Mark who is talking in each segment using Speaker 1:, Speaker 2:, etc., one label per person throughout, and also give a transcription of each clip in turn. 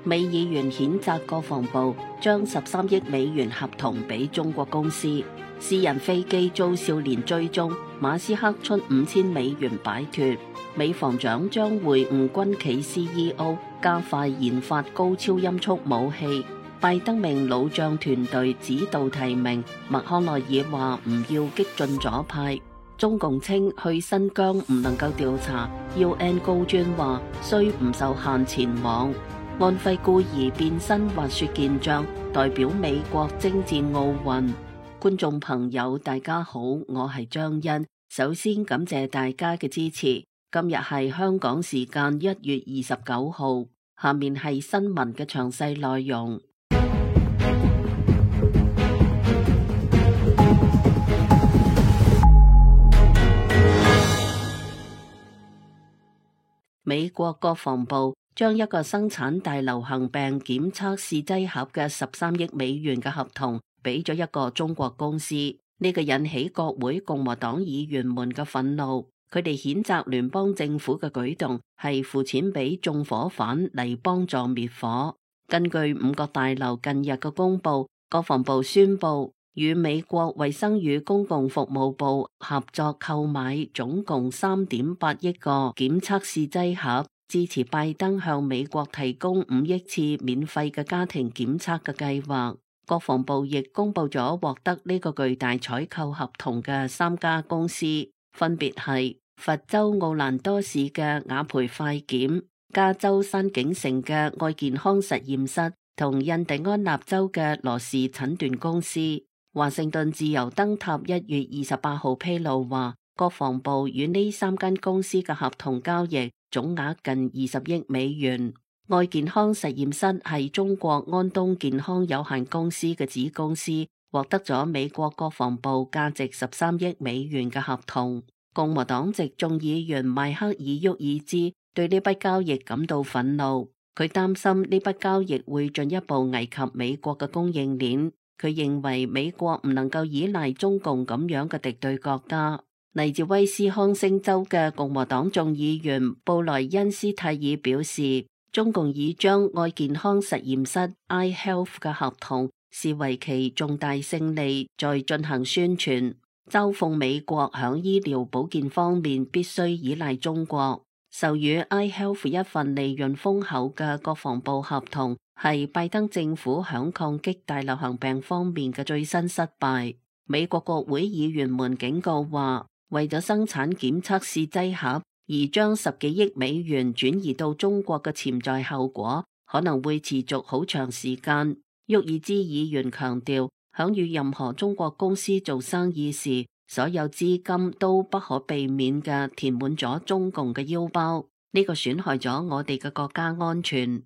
Speaker 1: 美議員譴責國防部將13億美元合同俾中國公司，私人飛機遭少年追蹤，馬斯克出5000美元擺脫。美防長將會晤軍企 CEO， 加快研發高超音速武器。拜登命老將團隊指導提名，麥康奈爾話唔要激進左派。中共稱去新疆唔能夠調查 ，UN 高專話雖唔受限前往。安徽孤兒變身滑雪健將，代表美國征戰奧運。觀眾朋友大家好，我係張欣，首先感謝大家嘅支持。今日係香港時間1月29號，下面係新聞嘅詳細內容。美國國防部將一個生產大流行病檢測試劑盒嘅13億美元嘅合同俾咗一個中國公司，呢個引起國會共和黨議員們嘅憤怒。佢哋譴責聯邦政府嘅舉動係付錢俾縱火犯嚟幫助滅火。根據五角大樓近日嘅公佈，國防部宣布與美國衛生與公共服務部合作購買總共3.8億個檢測試劑盒，支持拜登向美國提供5億次免費嘅家庭檢測嘅計劃。國防部亦公佈咗獲得呢個巨大採購合同嘅3家公司，分別係佛州奧蘭多市嘅雅培快檢、加州山景城嘅愛健康實驗室同印第安納州嘅羅氏診斷公司。華盛頓自由燈塔1月28號披露話，國防部與呢3間公司嘅合同交易總額近20億美元。愛健康實驗室係中國安東健康有限公司嘅子公司，獲得咗美國國防部價值13億美元嘅合同。共和黨籍眾議員邁克爾沃爾茲對呢筆交易感到憤怒，佢擔心呢筆交易會進一步危及美國嘅供應鏈。佢認為美國唔能夠依賴中共咁樣嘅敵對國家。嚟自威斯康星州嘅共和黨眾議員布萊恩斯泰爾表示，中共已將愛健康實驗室 iHealth 嘅合同視為其重大勝利，在進行宣傳，嘲諷美國響醫療保健方面必須依賴中國。授予 iHealth 一份利潤豐厚嘅國防部合同，係拜登政府響抗擊大流行病方面嘅最新失敗。美國國會議員們警告話，為咗生產檢測試劑盒而將10幾億美元轉移到中國嘅潛在後果，可能會持續好長時間。沃爾茲議員強調，響與任何中國公司做生意時，所有資金都不可避免嘅填滿咗中共嘅腰包，呢個損害咗我哋嘅國家安全。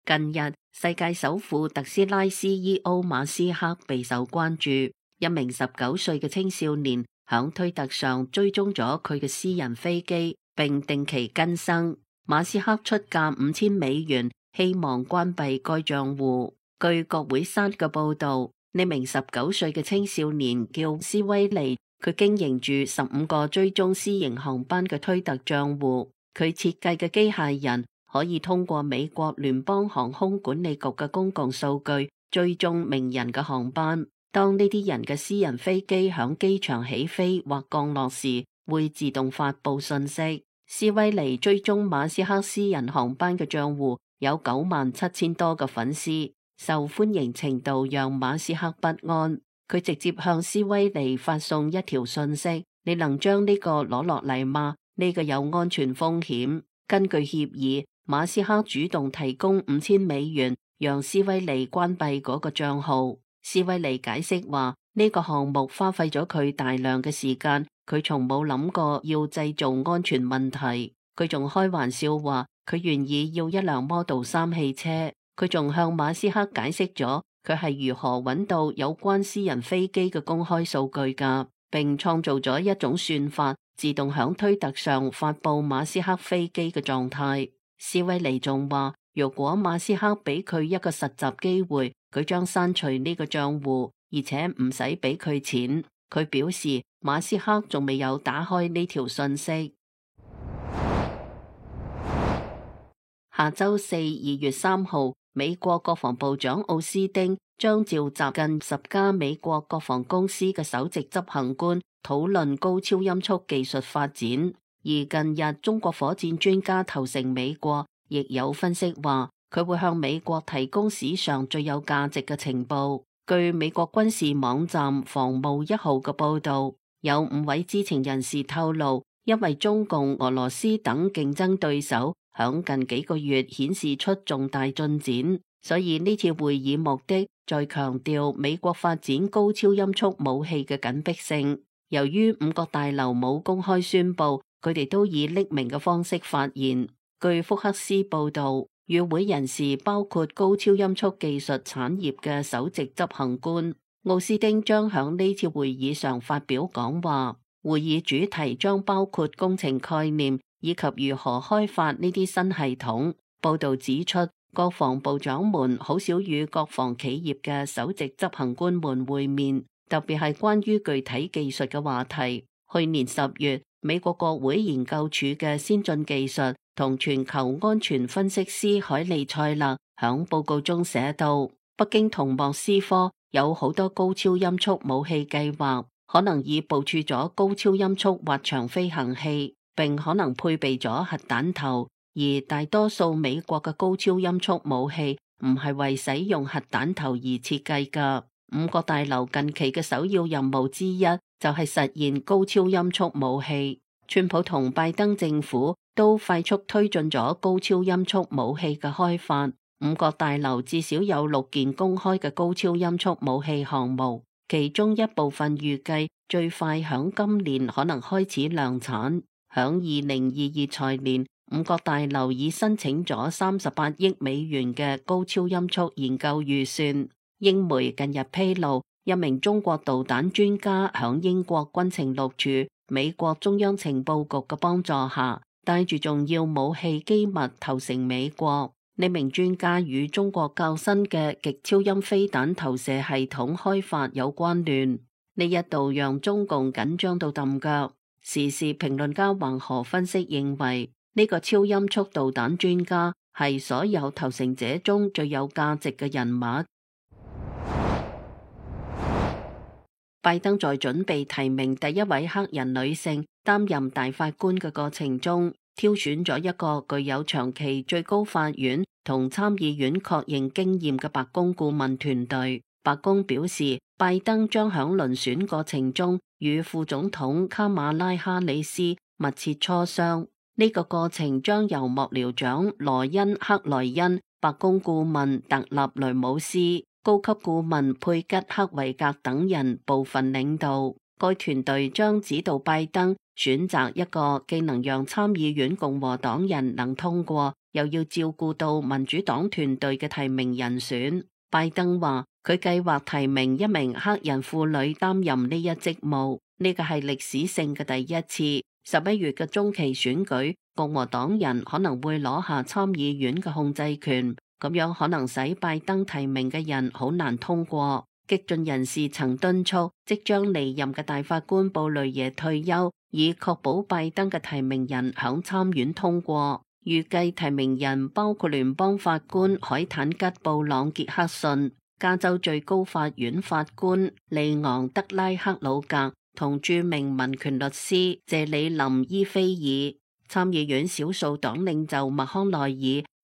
Speaker 1: 近日，世界首富特斯拉 CEO 馬斯克備受關注。一名19歲嘅青少年響推特上追蹤咗佢嘅私人飛機，並定期更新。馬斯克出價5000美元，希望關閉該賬戶。據國會山嘅報道，呢名19歲嘅青少年叫斯威利，佢經營住15個追蹤私營航班嘅推特賬戶。佢設計嘅機械人可以通過美國聯邦航空管理局嘅公共數據追蹤名人嘅航班。當呢啲人嘅私人飛機響機場起飛或降落時，會自動發佈信息。斯威尼追蹤馬斯克私人航班嘅賬戶有97000多個粉絲，受歡迎程度讓馬斯克不安。佢直接向斯威尼發送一條信息：你能將呢個攞落嚟嗎？呢個有安全風險。根據協議，馬斯克主動提供5000美元，讓斯威尼關閉嗰個賬號。斯威尼解釋話，呢個項目花費咗佢大量嘅時間，佢從冇諗過要製造安全問題。佢仲開玩笑話，佢願意要一輛 Model 3汽車。佢仲向馬斯克解釋咗佢係如何揾到有關私人飛機嘅公開數據㗎，並創造咗一種算法，自動響推特上發佈馬斯克飛機嘅狀態。斯威尼仲話，如果馬斯克俾佢一個實習機會，佢將刪除呢個賬戶，而且唔使俾佢錢。佢表示馬斯克仲未有打開呢條信息。下週四2月3號，美國國防部長奧斯汀將召集近10家美國國防公司嘅首席執行官討論高超音速技術發展。而近日中國火箭專家投誠美國，亦有分析話佢會向美國提供史上最有價值嘅情報。據美國軍事網站防務1號嘅報道，有5位知情人士透露，因為中共、俄羅斯等競爭對手響近幾個月顯示出重大進展，所以呢次會議目的在強調美國發展高超音速武器嘅緊迫性。由於5角大樓冇公開宣布，佢哋都以匿名嘅方式發言。據福克斯報道，與會人士包括高超音速技術產業嘅首席執行官奧斯汀，將響呢次會議上發表講話。會議主題將包括工程概念以及如何開發呢啲新系統。報道指出，國防部長們好少與國防企業嘅首席執行官們會面，特別係關於具體技術嘅話題。去年10月，美國國會研究處嘅先進技術同全球安全分析師海利塞勒響報告中寫到，北京同莫斯科有好多高超音速武器計劃，可能已部署咗高超音速滑翔飛行器，並可能配備咗核彈頭。而大多數美國嘅高超音速武器唔係為使用核彈頭而設計㗎。5角大樓近期嘅首要任務之一就係實現高超音速武器。川普同拜登政府都快速推進咗高超音速武器嘅開發。5角大樓至少有6件公開嘅高超音速武器項目，其中一部分預計最快響今年可能開始量產。響2022財年，5角大樓已申請咗38億美元嘅高超音速研究預算。英媒近日披露，一名中國導彈專家響英國軍情六處、美國中央情報局嘅幫助下，帶住重要武器機密投誠美國。呢名專家與中國較新嘅極超音飛彈投射系統開發有關聯，呢一度讓中共緊張到揼腳。時事評論家黃河分析認為，呢個超音速導彈專家係所有投誠者中最有價值嘅人物。拜登在準備提名第一位黑人女性擔任大法官嘅過程中，挑選咗一個具有長期最高法院同參議院確認經驗嘅白宮顧問團隊。白宮表示，拜登將響遴選過程中與副總統卡馬拉哈里斯密切磋商。呢個過程將由幕僚長羅恩克萊恩、白宮顧問特納雷姆斯、高級顧問佩吉克維格等人部分領導。該團隊將指導拜登選擇一個既能讓參議院共和黨人能通過，又要照顧到民主黨團隊嘅提名人選。拜登話佢計劃提名一名黑人婦女擔任呢一職務，呢個係歷史性嘅第一次。11月嘅中期選舉，共和黨人可能會攞下參議院嘅控制權，咁樣可能使拜登提名嘅人好難通過。激進人士曾敦促即將離任嘅大法官布雷耶退休，以確保拜登嘅提名人響參院通過。預計提名人包括聯邦法官海坦吉布朗傑克遜、加州最高法院法官利昂德拉克魯格同著名民權律師謝里林伊菲爾。參議院少數黨領袖麥康奈爾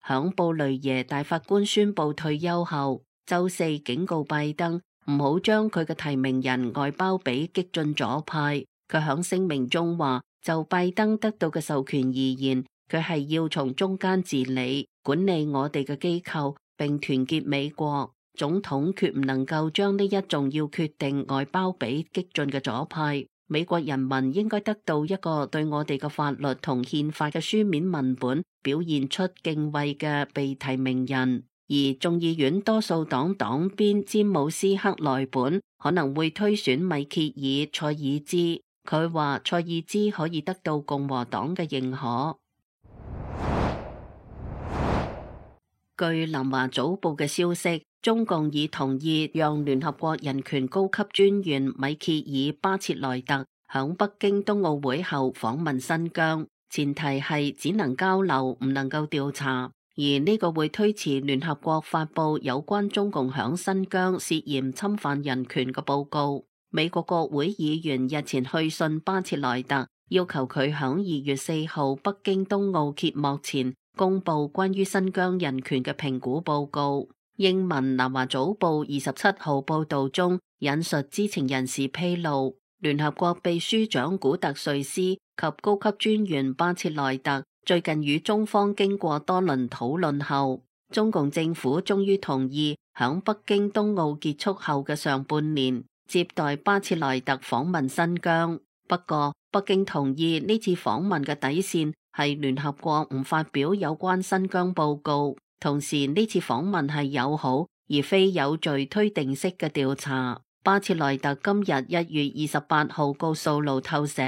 Speaker 1: 響布雷耶大法官宣布退休後，週四警告拜登唔好將佢嘅提名人外包俾激進左派。佢響聲明中話，就拜登得到嘅授權而言，佢係要從中間治理、管理我哋嘅機構，並團結美國。總統決唔能夠將呢一重要決定外包俾激進嘅左派。美國人民應該得到一個對我哋嘅法律同憲法嘅書面文本表現出敬畏嘅被提名人。而眾議院多數黨黨鞭詹姆斯克萊本可能會推選米歇爾塞爾茲。佢話塞爾茲可以得到共和黨嘅認可。據南華早報嘅消息，中共已同意讓聯合國人權高級專員米歇爾巴切萊特響北京冬奧會後訪問新疆，前提係只能交流，唔能夠調查。而呢個會推遲聯合國發布有關中共響新疆涉嫌侵犯人權嘅報告。美國國會議員日前去信巴切萊特，要求佢響2月4號北京冬奧揭幕前公布關於新疆人權嘅評估報告。英文南華早報27號報道中引述知情人士披露，聯合國秘書長古特瑞斯及高級專員巴切萊特最近與中方經過多輪討論後，中共政府終於同意響北京冬奧結束後嘅上半年接待巴切萊特訪問新疆。不過，北京同意呢次訪問嘅底線係聯合國唔發表有關新疆報告，同時呢次訪問係友好而非有罪推定式嘅調查。巴切萊特今日1月28號告訴路透社，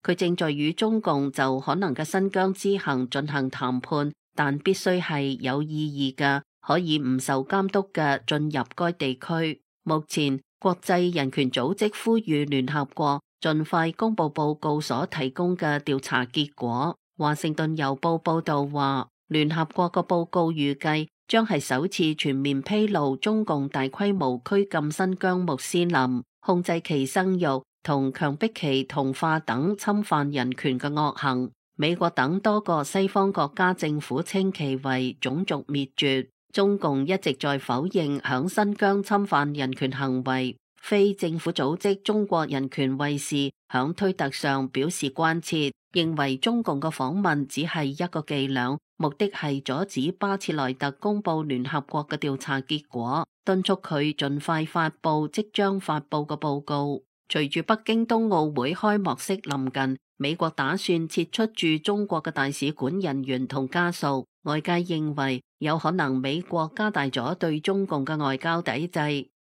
Speaker 1: 佢正在與中共就可能嘅新疆之行進行談判，但必須係有意義嘅，可以唔受監督嘅進入該地區。目前國際人權組織呼籲聯合國盡快公布報告所提供嘅調查結果。華盛頓郵報報道話，聯合國嘅報告預計將係首次全面披露中共大規模拘禁新疆穆斯林、控制其生育同強迫其同化等侵犯人權嘅惡行。美國等多個西方國家政府稱其為種族滅絕。中共一直在否認響新疆侵犯人權行為。非政府組織中國人權衛士響推特上表示關切，認為中共嘅訪問只係一個伎倆，目的係阻止巴切萊特公布聯合國嘅調查結果，敦促佢盡快發布即將發布嘅報告。隨住北京冬奧會開幕式臨近，美國打算撤出駐中國嘅大使館人員同家屬，外界認為有可能美國加大咗對中共嘅外交抵制。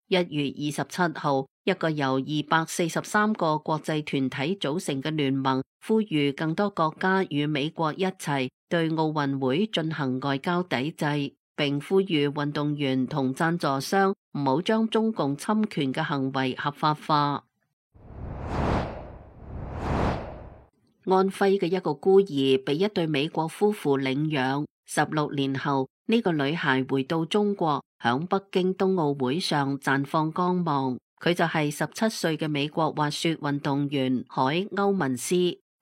Speaker 1: 1月27號，一個由243個國際團體組成嘅聯盟呼籲更多國家與美國一齊對奧運會進行外交抵制，並呼籲運動員同贊助商唔好將中共侵權嘅行為合法化。安徽嘅一個孤兒被一對美國夫婦領養，16年後呢個女孩回到中國，響北京冬奧會上綻放光芒。佢就係17歲嘅美國滑雪運動員海歐文斯。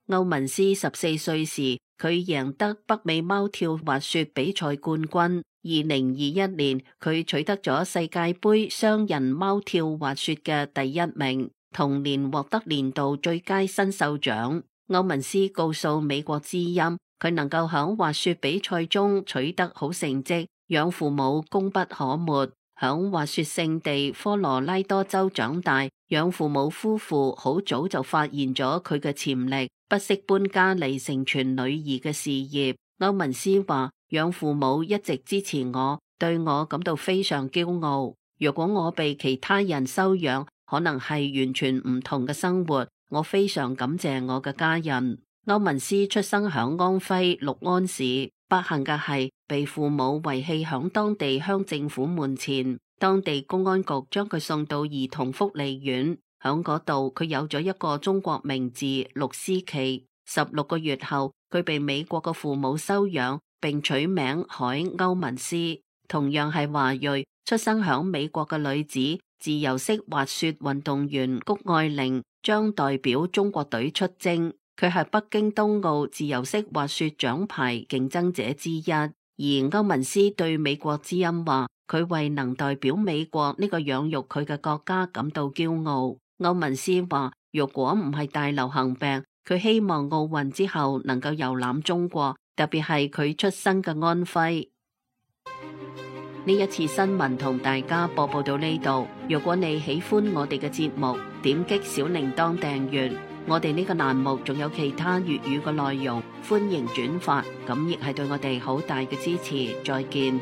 Speaker 1: 歐文斯14歲時，佢贏得北美貓跳滑雪比賽冠軍。2021年，佢取得咗世界盃雙人貓跳滑雪嘅第1名，同年獲得年度最佳新秀獎。歐文斯告訴美國之音，佢能夠響滑雪比賽中取得好成績，養父母功不可沒。響滑雪勝地科羅拉多州長大，養父母夫婦好早就發現咗佢嘅潛力，不惜搬家嚟成全女兒嘅事業。歐文斯話，養父母一直支持我，對我感到非常驕傲。如果我被其他人收養，可能係完全唔同嘅生活。我非常感謝我嘅家人。歐文斯出生響安徽六安市，不幸嘅係被父母遺棄響當地鄉政府門前，當地公安局將佢送到兒童福利院，響嗰度佢有咗一個中國名字陸思琪。16個月後，佢被美國嘅父母收養，並取名海歐文斯。同樣係華裔，出生響美國嘅女子自由式滑雪運動員谷愛凌將代表中國隊出征，佢係北京冬奧自由式滑雪獎牌競爭者之一。而歐文斯對美國之音話，佢為能代表美國呢個養育佢嘅國家感到驕傲。歐文斯話，如果唔係大流行病，佢希望奧運之後能夠遊覽中國，特別係佢出生嘅安徽。呢一次新聞同大家播報到呢度。如果你喜歡我哋嘅節目，點擊小鈴鐺訂閱。我哋呢個欄目仲有其他粵語嘅內容，歡迎轉發，咁亦係對我哋好大嘅支持。再見。